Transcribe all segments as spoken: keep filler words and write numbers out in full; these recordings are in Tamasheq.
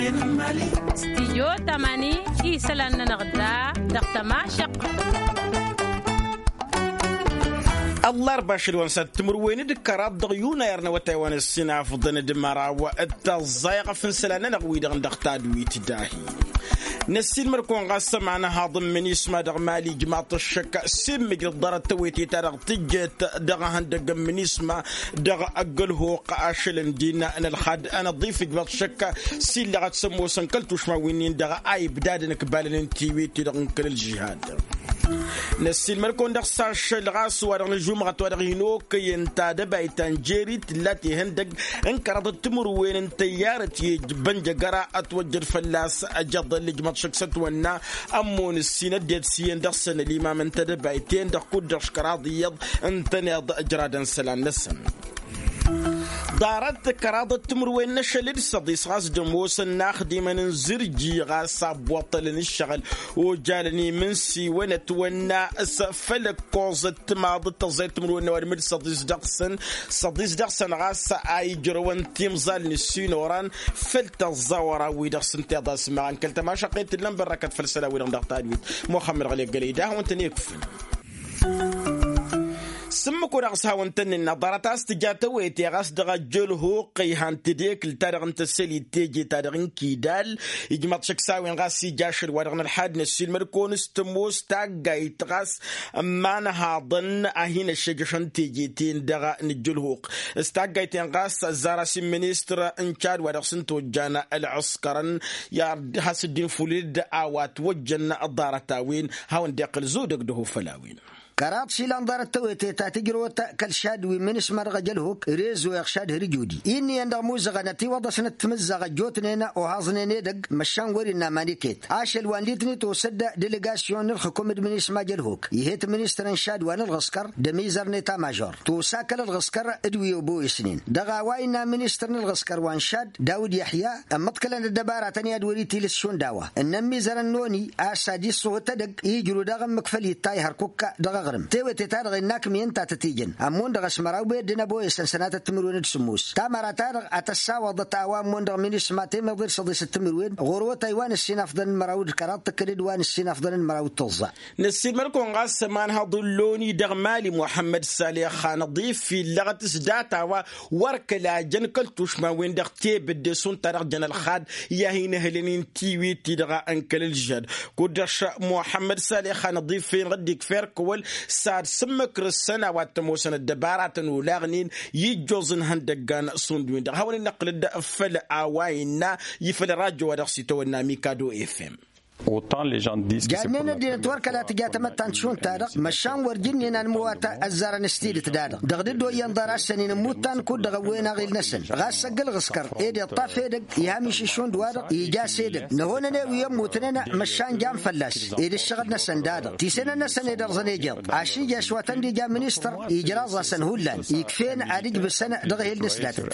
Stijyo tamani isălan-nănăɣ da dăɣ-tămašăq. Ăllarba ašăl wa n-sat timǝrwen d-kăraḍ dăɣ-yunayăr n-awătay wa n-ăssinafḍăn d-măraw d-tăẓẓayăɣ fǝnsălan-nănăɣ wi-dăɣ n-dăɣ tadwit dahi. Năssiilmăd-kăwăn ɣas ămanhaḍ n-minisma dăɣ-mali ijmaḍ-t ăššăk s-immǝjrăḍ ḍarăt tawăyte-ta-dăɣ tǝjjet dăɣ-ehăndăgg n-minisma dăɣ-ăgg-ălhuq ašăl n-dinna n-ălxad ănăḍif ijmaḍ-t ăššăk s-illăɣăt s-ămoosăn kăl-tušma wi-nin-dăɣ a ibdadăn ǝkbalăn n-tiwit-ti-dăɣ n-kăl-ălžihad. Năssiilmăd-kăwăn dăɣ-s ašăl ɣas wa dăɣ-nǝžumăɣăt wa dăɣ-hin-okăyăn tadăbayt ta n-jeri tǝlla tehăndăg n-kăraḍăt timǝrwen n-tăyyarăt i-bănjăgăra ătwăjjăd fălla-s ăjăḍăl ijmăḍ šăkk s-ătwănna ămmun ǝssin ăddinăt s-iyyăn dăɣ-săn ălimam n-tadăbayt-en-dăɣ kud-dăɣ škăraḍ iyyăḍ ǝntăneḍ ǝjradăn isălan-năsăn. Ḍarăt kăraḍăt timǝrwen n-ašăl d-săḍis ɣas d-ămoosăn inaxdimăn n-zǝrji ɣas abbuṭălăn ǝššăɣǝl ojalăn imǝnsiwăn ătwănna s-făll-ăkkoẓăt timaḍ d-tăẓẓayăt timǝrwen n-ăwadǝm d-săḍis dăɣ-săn. Săḍis dăɣ-săn ɣas a ijrăwăn timẓal n-ǝssin oran făll-tăẓẓa oran-wi-dăɣ s-ǝnta iḍas măɣan kăl-tămašăqqet tǝllăn bărrăkăt făll-isălan-wi-dăɣ dăɣ-tadwit muxămmăd ɣăli ăggălăy da hawăn-tăn-ikfǝn. S-ǝmmǝk-o-dăɣ s-hawăn-tăn-nǝnna ḍarăt a-s tǝja tawăyte ɣas dăɣ-ăjjălhuq ihan tedekǝlt-ta-dăɣ n-tăsselit teje-ta-dăɣ n-kidal. Ijmăḍ šăkk s-a-wen ɣas ija ašăl-wa-dăɣ n-ălḥad n-ăssiilmăd-kăwăn s-tămoos taggayt ɣas n-imanhaḍăn a hin-ăššejăšăn teje-ten-dăɣ n-ăjjălhuq s-taggayt-en ɣas ăzzar-as i-ministăr n-cad wa dăɣ-s n-tojjan ălɣǝskărăn i-ad-has-dd-infulǝd a-wa ătwăjjăn ḍarăt-a-wen. Hawăn-dd-iqqǝl zudăg dăɣ-ufăl a-wen. Kăraḍ išilan ḍarăt tawăyte ta tǝjrăwăt kăl-šad wi n-imǝnǝšma dăɣ-ejălhuk rezo iɣšad hărjudi-i ǝnniyăn dăɣ-imuzăɣăn ătiwăḍăsnăt timǝzzaɣ ăjjootnen ohaẓnen edăgg măšan wăr-innă aman iket ašăl wa n-litni tosă-dd delegasyon n-ǝlxǝkum d-imǝnǝšma ejălhuk ih'-et ministăr n-šad wa n-ǝlɣǝskăr d-amizăr n-eta mažor tosa kăl-ǝlɣǝskăr d-wi ăboyăsnen dăɣ-a-wa innă ministăr n-ǝlɣǝskăr wa n-šad dawǝd yăḥya ămmăḍkălăn ăddăbaratăn i-ad-wăr-itilǝs šund a-wa ǝnnă ămmizărăn n-oni a-s ad-issǝhut edăgg ijru daɣ ǝmmǝk făll-ittay hărkukka dăɣ-aɣrǝm tewăte-ta-dăɣ innă akǝmyăn ta tăt-ijăn ămmun dăɣ-asmăraw bedd n-ăboyăsăn sănatăt timǝrwen d-sǝmmos tamăra-ta-dăɣ a tăssawăḍăt a-wa ămmun dăɣ-minisma temeḍe d-săḍisăt timǝrwen ɣur-awătay wa n-ǝssin afḍăn n-măraw d-kăraḍ tǝkkăd d-wa n-ǝssin afḍăn n-măraw d-tǝẓẓa. Năssiilmăd-kăwăn ɣas ămanhăḍ n-loni dăɣ-mali muḥămmăd saleh anăḍif illăɣăt s-data-wa wăr kăla jăn kăl-tušma-wen-dăɣ tebădde šund ta dăɣ-jăn ălxad i-ad-hin-ǝhlănen tiwit-ti-dăɣ n-kăl-ǝlžăd kud-dăɣ muḥămmăd saleh anăḍif-en ɣǝdd-ikfa irkăwăl s-ad-sǝmmǝkrǝsăn a-wa t-ămoosăn ăddăbaratăn olaɣnen i-ǝjjoẓ n-ihăndăggan šund-wen-dăɣ hawăn-in-năqqǝlăd făll-a-wa innă ifăl ărajo wa dăɣ-s itawănna mikado fm. Jannen ăddinăt wăr kăla tǝja tamăttant šund-ta-dăɣ măšan wăr jǝnnen anmǝwat ăzzarăn s-tidǝt-da-dăɣ dăɣ-dd-oyyăn ḍarăt-săn-in ǝmmuttan kud-dăɣ ăwwen aɣil-năsăn ɣas ăgg-ălɣǝskăr ed iṭṭaf edăgg ih' amišǝš šund-wa-dăɣ ija s-edăgg năhonăn i-wi ămmutnen măšan jan fălla-s ed ǝššăɣǝl-năsăn da-dăɣ tisǝnăn-năsăn ed ărẓăn ejeḍ ašǝnjaš wa tăn-dd-ija ministăr ijraẓ-asăn hullan ikf'-en ad-ǝjbǝsăn dăɣ-ehel-năsnatăt.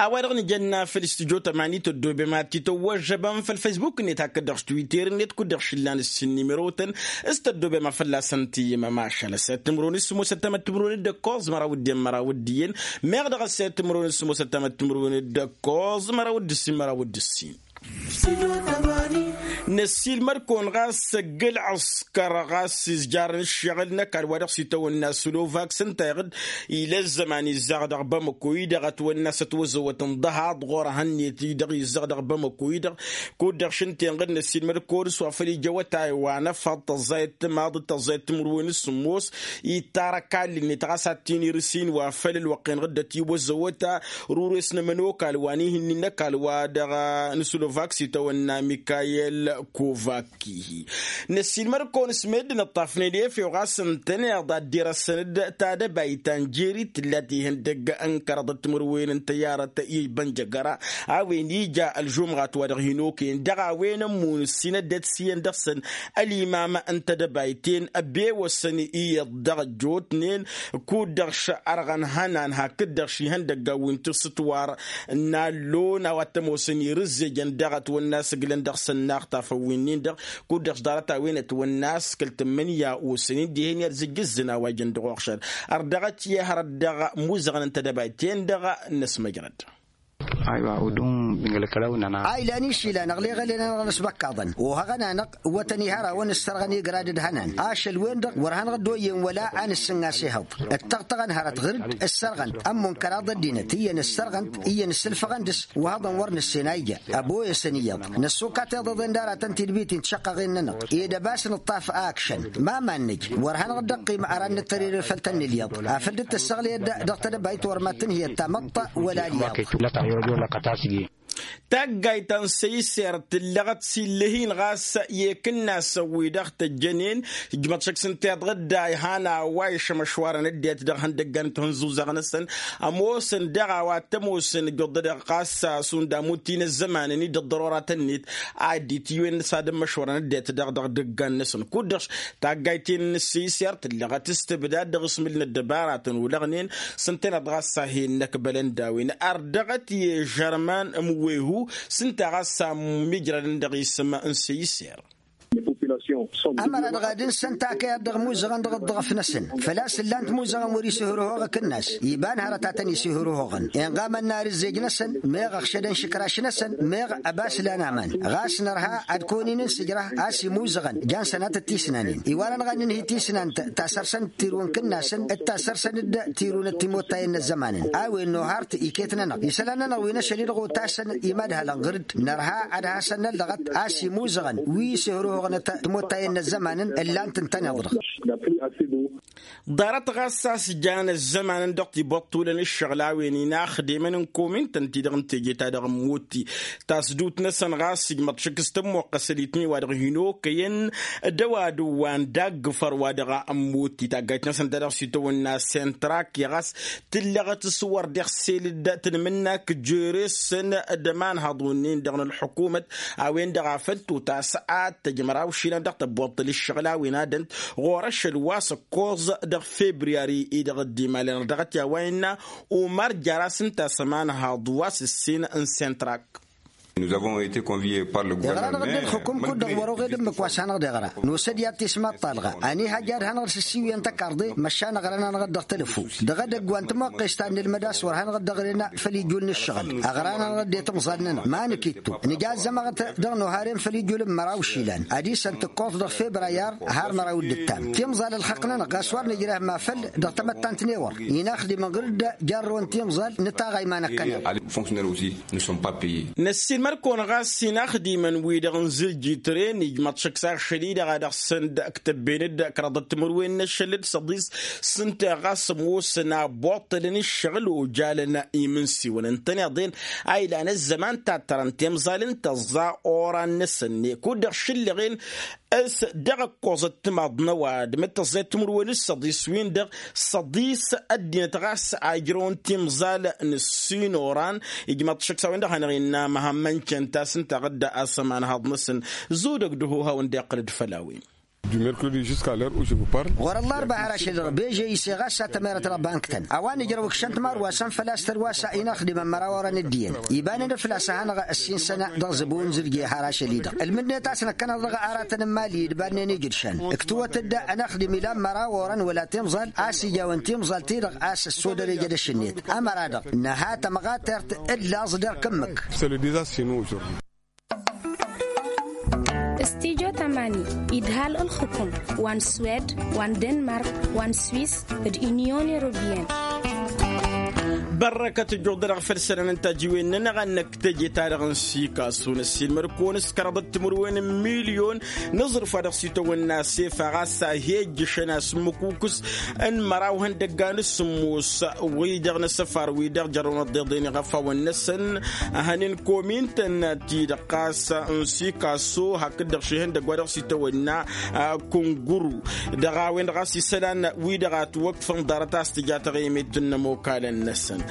A-wa-dăɣ nǝjănna făll-studyo tămani tăddobem ad-t-tăwwăžžăbăm făll-faysbuk-net hakd-dăɣ s-twitter-net kud-dăɣ šillan ǝssin nimirotăn s-tăddobem a fălla-săn tǝyyǝmăm ašăl ăssayăt timǝrwen s-sǝmmosăt tamăttimǝrwen d-ǝkkoẓ măraw d-en măraw d-iyyăn meɣ dăɣ-ăssayăt timǝrwen s-sǝmmosăt tamăttimǝrwen d-ǝkkoẓ măraw d-ǝssin măraw d-ǝssin. Năssiilmăd-kăwăn ɣas ăgg-ǝlɣǝskăr ɣas izjarăn ǝššăɣǝl n-ăkall wa dăɣ-s itawănna slovak s-ǝnta iɣǝd ila ăzzăman izzaɣ dăɣ-bamăko-i-dăɣ ătwănna s-ătwăzăwăt n-ḍăhaḍ ɣur-ehăn-net-i-dăɣ izzăɣ dăɣ-bamăko-i-dăɣ. Kud-dăɣ šǝnta inɣǝd năssiilmăd-kăwăn s-wa făl ija awătay wa n-efăḍ tăẓẓayăt timaḍ d-tăẓẓayăt timǝrwen s-sǝmmos itarăk allǝnnet ɣas ad-t-in-irǝs-in wa făll-ălwăqq inɣǝd ătiwăzăwăt rures n-ămănokal wa n-ihǝnnin n-ăkall wa dăɣ-n-slovak s-itawănna mikayel kovak. Năssiilmăd-kăwăn s-meddǝn ǝṭṭafnen efew ɣas ǝntăneḍ ad-dd-irăssăn-dd tadăbayt ta n-jeri tǝllat ihăndăgg n-kăraḍăt timǝrwen n-tăyyarăt i-bănjăgăra a-wen ija ălžumɣat wa dăɣ-hin-okăyăn dăɣ-a-wen ămmun ǝssin ăddinăt s-iyyăn dăɣ-săn ălimam n-tadăbayt-en ăbewăsăn iyyăḍ dăɣ-ăjjootnen. Kud-dăɣ šărɣăn hănan hakd-dăɣ šihăndăggan wi n-tisǝtwar n-allon a-wa t-ămoosăn irǝzzejăn daɣ ătwănna a-s ǝglăn dăɣ-săn naɣ tafăw-wi-nin-dăɣ kud-dăɣ s-ḍarăt-a-wen ătwănna a-s kăl-tǝmmǝnǝya osăn-in dihen i-ad-zǝjjǝzzǝn a-wa ijăn dăɣ-uɣšad. Ărdăɣăt i-hărăt dăɣ-imuzăɣăn n-tedăbayt-en-dăɣ n-ăsmăjrăd. Aywa udum bingălkălăw năna. A ilan išilan ăɣleɣălen-anăɣ n-asbăkkaḍăn ohăɣăn-anăɣ wătăn ihărawăn ǝssărɣăn igrad d-hănan ašăl-wen-dăɣ wăr hanăɣ-dd-oyyen wăla a nǝssǝngas ihăḍ. Ǝttăɣtăɣăn hărăt ɣǝr-dd ǝssărɣăn-t ămmun kăraḍ ăddinăt iyyăn ǝssărɣăn-t iyyăn ǝssǝlfăɣăn dăɣ-s. Wăhăḍăn wăr nǝssen a ija ăboyăsăn iyyăḍ năssokat iḍăḍen d-aratăn tidbitin tišăqqăɣen-nănăɣ ed ăbas nǝṭṭaf a ǝkšăn ma mannăj wăr hanăɣ-dd-ăqqim ara n-nǝttăr irefăl tăn-nǝlyaḍ afăl dd-tǝssăɣlăyăd dăɣ-tedăbayt wăr mad-tǝnhǝyăd tamăḍt wăla alyaḍ. Taggayt ta n-săyser tǝllăɣăt s-illăh-in ɣas i-ikǝnnasăn wi dăɣ-tăjjănen ijmăḍ šăkk s-ǝnta iḍɣǝd da ihan a-wa išămăšwarăn ăddinăt dăɣ-ihăndăggan n-tihǝnzuzaɣ-năsăn. Ămoosăn daɣ a-wa t-ămoosăn ǝjjuḍ-dăɣ ɣas šund amut-i n-ăzzămanăn-i d-ăḍḍărora tănnit a dd-itǝywen s-ad-ǝmmăš wărăn ăddinăt daɣ dăɣ-idăggan-năsăn kud-dăɣ. Taggayt-in n-ăssiiser tǝllăɣăt s-tǝbdad dăɣ-asmǝl n-ăddăbaratăn ulăɣnen s-ǝntăneḍ ɣas a hin-năkbălăn d-a-wen ardăɣăt i-žărman n-wehu s-ǝnta ɣas a mijrădăn dăɣ-isǝm n-ăssiiser. Ămăra-dăɣ ad-ǝnsăn takăyat dăɣ-imuzăɣăn dăɣ-ǝḍḍăɣăf-năsăn făl-a-s ǝllan timuzăɣăn wăr-isǝhǝrǝhoɣ akǝnnas iba n-hărăt a tăn-isǝhǝrǝhoɣăn inɣamăn n-ar ǝzzej-năsăn meɣ ăɣšădăn šǝkraš-năsăn meɣ ăbas lan aman. Ɣas nărha ad-kăwăn-in n-sǝjrăh a-s imuzăɣăn jan sănatăt tisnanen iwar-anăɣ ad-nǝnhǝy tisnant ta săr-săn tirǝw n-kǝnnasăn d-ta săr-săn d-tirǝw n-ăttimottayăn n-ăzzămanăn. A-wen nohart iket-nănăɣ isălan-nănăɣ wi n-ašăl-i-dăɣ otasăn imadhalăn ɣǝr-dd nărha ad-hasăn-năllăɣăt a-s imuzăɣăn wi s-ihăruhăɣnăt timottayăn n-ăzzămanăn ǝllan-tăn tăneḍ-dăɣ. Ḍarăt ɣas a-s jan ăzzămanăn dăɣ-tibăṭṭulăn ǝššăɣǝl a-wen inaxdemăn n-komintăn-ti-dăɣ n-teje-ta-dăɣ n-mutti tasdut-năsăn ɣas ijmăḍ šăkk s-tămmoqqăsăl itney wa dăɣ-hin-okăyăn d-ăwadǝm wa n-daggǝfăr wa dăɣ-ămmut i-taggajt-năsăn ta dăɣ-s itawănna sentrak i-ɣas tǝllăɣăt s-wăr d-iɣsel-dd tǝnmǝnnak jere-săn d-ămanhăḍ wǝnnin-dăɣ n-ălḥukumăt a-wen-dăɣ a făl totas ad-tăjj măraw išilan dăɣ-tăbboṭṭăl ǝššăɣǝl a-wen ad-ănt ɣur-ašăl wa s-ăkkoẓ dăɣ-febriyari-i dăɣ-dd-imalăn dăɣ-t i-a-wa innă umăr jar-as ǝnta a-s ămanhăḍ wa s-ǝssin n-sentrak. Iɣra-năɣ-dd ǝlxǝkum kud-dăɣ wăr-oɣed ǝmmǝk wa s-hanăɣ-dd-iɣra nosăd i-ad-tismaḍt talɣa ăniihăjja ad-hanăɣ-dd sǝssiwǝyăn tăkarḍe măšan ăɣra-nănăɣ-dd dăɣ-telăfu. Dăɣ-edăgg wa n-timăqqest ta n-inǝlmăd a-s wăr hanăɣ-dd-ăɣrena făll-ijul n-ǝššăɣǝl ăɣra-nănăɣ-dd i-timẓal-nănăɣ ma nǝkittu nǝja ăzzămăɣăt dăɣ-noharem făll-ijul n-măraw išilan ad-isăn tǝkkoẓ dăɣ-febra i-ar har măraw d-ǝttam timẓal ălxăqq-nănăɣ ɣas wăr nǝjreh ma făll dăɣ-tamăttant n-ewăr inaxdimăn ɣǝr-dd jarrăwăn timẓal nǝtaɣa iman-ăkkăneḍ. Năssiinmăr-kăwăn ɣas inaxdimăn-wi-dăɣ n-zǝljitren ijmăḍ šăkk s-ašăl-i-dăɣ a dăɣ-săn d-ǝktăbben-dd kăraḍăt timǝrwen n-ašăl d-săḍis s-ǝnta ɣas ămoosăn a ăbboṭṭălăn ǝššăɣǝl ojalăn imǝnsiwăn ǝntăneḍ-en a ilan ăzzăman tattărăn timẓal n-tăẓẓa oran-năsăn-net kud-dăɣ šǝllăɣen s-dăɣ-ăkkoẓăt timaḍ n-ăwadǝm d-tăẓẓayăt timǝrwen d-săḍis-win-dăɣ săḍis ăddinăt ɣas a ijrăwăn timẓal n-ǝssin oran. Ijmăḍ šăkk s-a-wen-dăɣ hanăɣ-innă măhămmăn cănta s-ǝnta ɣǝdda a-s ămanhaḍ-năsăn zudăg dăɣ-uha wăn-dd-iqqăl d-făll-a-wen. Ɣur-ăllarba har ašăl-i-dăɣ beže ise ɣas a tămerăt dăɣ-bank-tăn a-wa nǝjrăw ǝkšăn timarwasăn făl-a-s tărwasa inaxdimăn măraw orăn ǝddiyăn ibanen făl-a-s a hanăɣ-ăssinsăn dăɣ-zăbo n-zǝrje har ašăl-i-dăɣ ǝlmǝdnet a-s năkkăneḍ dăɣ-aratăn n-imali d-ibannen ijǝdšan. Ǝktǝwăt-dd ănaxdim ilan măraw orăn wăla timẓal a-s ijawăn timẓal-ti-dăɣ a-s ăssodăr ejădăš-net. Ămăra-dăɣ nǝha tămɣatert d-laẓ d-erk ǝmmǝk. Stujo tamani idhal ǝlxǝkum wa n-swed wa n-denmark wa n-swis d-inyon europiyăn. Bărrăkăt ǝjjuḍ-dăɣ făll-isălan n-tajiwen-nănăɣ a n-năkk teje-ta-dăɣ n-sikasu năssiilmăr-kăwăn s-kăraḍăt timǝrwen n-milyon n-aẓrǝf wa dăɣ-s itawănna sefa ɣas a hi-ijjǝšăn asǝmmǝkukǝs n-măraw ihăndăgga n-asǝmmos wi-dăɣ n-asăfar wi-dăɣ jărrăwăn ăḍḍeḍen iɣăfawăn-năsăn. Hănen komintăn-ti-dăɣ ɣas n-sikaso hakd-dăɣ šihăndăgg wa dăɣ-s itawănna kunguru dăɣ-a-wen-dăɣ a-s isălan wi-dăɣ a ătwăkfăn ḍarăt a-s tǝja taɣimit n-ămokalăn-năsăn.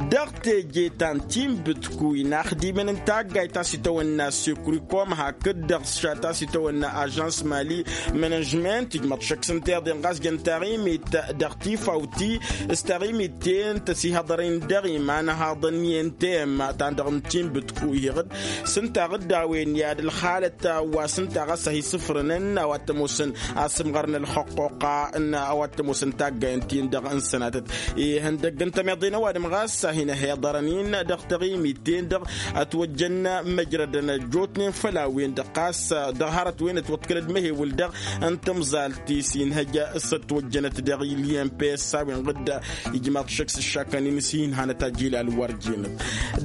Dăɣ-teje ta n-tinbǝtkuy inaxdimăn n-taggayt ta s-itawănna sekurikom hakd-dăɣ s-ta s-itawănna ažans mali mănăžment ijmăḍ šăkk s-ǝnta iḍen ɣas jăn taɣimit dăɣ-tifawt-i s-taɣimit-ten tăsihăḍăren dăɣ-iman haḍăn i-ntem ta n-dăɣ n-tinbǝtkuy heɣ-dd s-ǝnta ɣǝdda a-wen i-ad-ălxalăt wa s-ǝnta ɣas a hi-sǝfrănăn a-wa t-ămoosăn asǝmɣăr n-ălxăqqoqqa n-a-wa t-ămoosăn taggayăn-tin-dăɣ n-sănatăt ihăndăgg n-tămiḍe n-ăwadǝm. ɣas a hin-ăhiḍărăn-in dăɣ-taɣimit-ten-dăɣ ătwăjjăn măjrădăn ăjjootnen făll-a-wen-dăɣ ɣas dăɣ-hărăt-wen ătwăḍkălăd măhewǝl-dăɣ n-tamẓalt ti s-inhăj s-ătwăjjănăt dăɣ-ilyen pes a-wen ɣǝdda ijmaḍ šăkk s-ǝššakăn-in s-hin-hanăt ajilal wăr jenăt.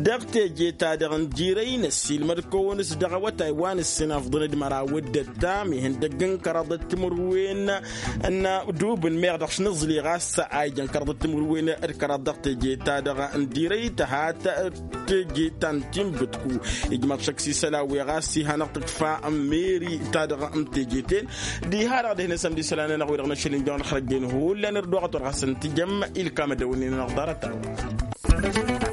Dăɣ-teje-ta-dăɣ n-dirăy năssiilmăd kăwăn-s dăɣ-awătay wa n-ǝssin afḍăn d-măraw d-ăttam ihăndăgg n-kăraḍăt timǝrwen n-dubǝn meɣ dăɣ-s nǝẓli ɣas a ijăn kăraḍăt timǝrwen d-kăraḍ dăɣ-teje-ta-dăɣ n-dirăy tăhat teje ta n-tinbǝtku ijmaḍ šăkk s-isălan wi ɣas iha năɣ tǝkfa n-meri-ta-dăɣ n-teje-ten. Diha-dăɣ dehnen sămdi isălan-nănăɣ wi-dăɣ năšăl injăwăn xărăjjen hullan irduɣăt wăr ɣas n-tijăm ilkam ădăwănnen-nănăɣ ḍarăt-a-wa.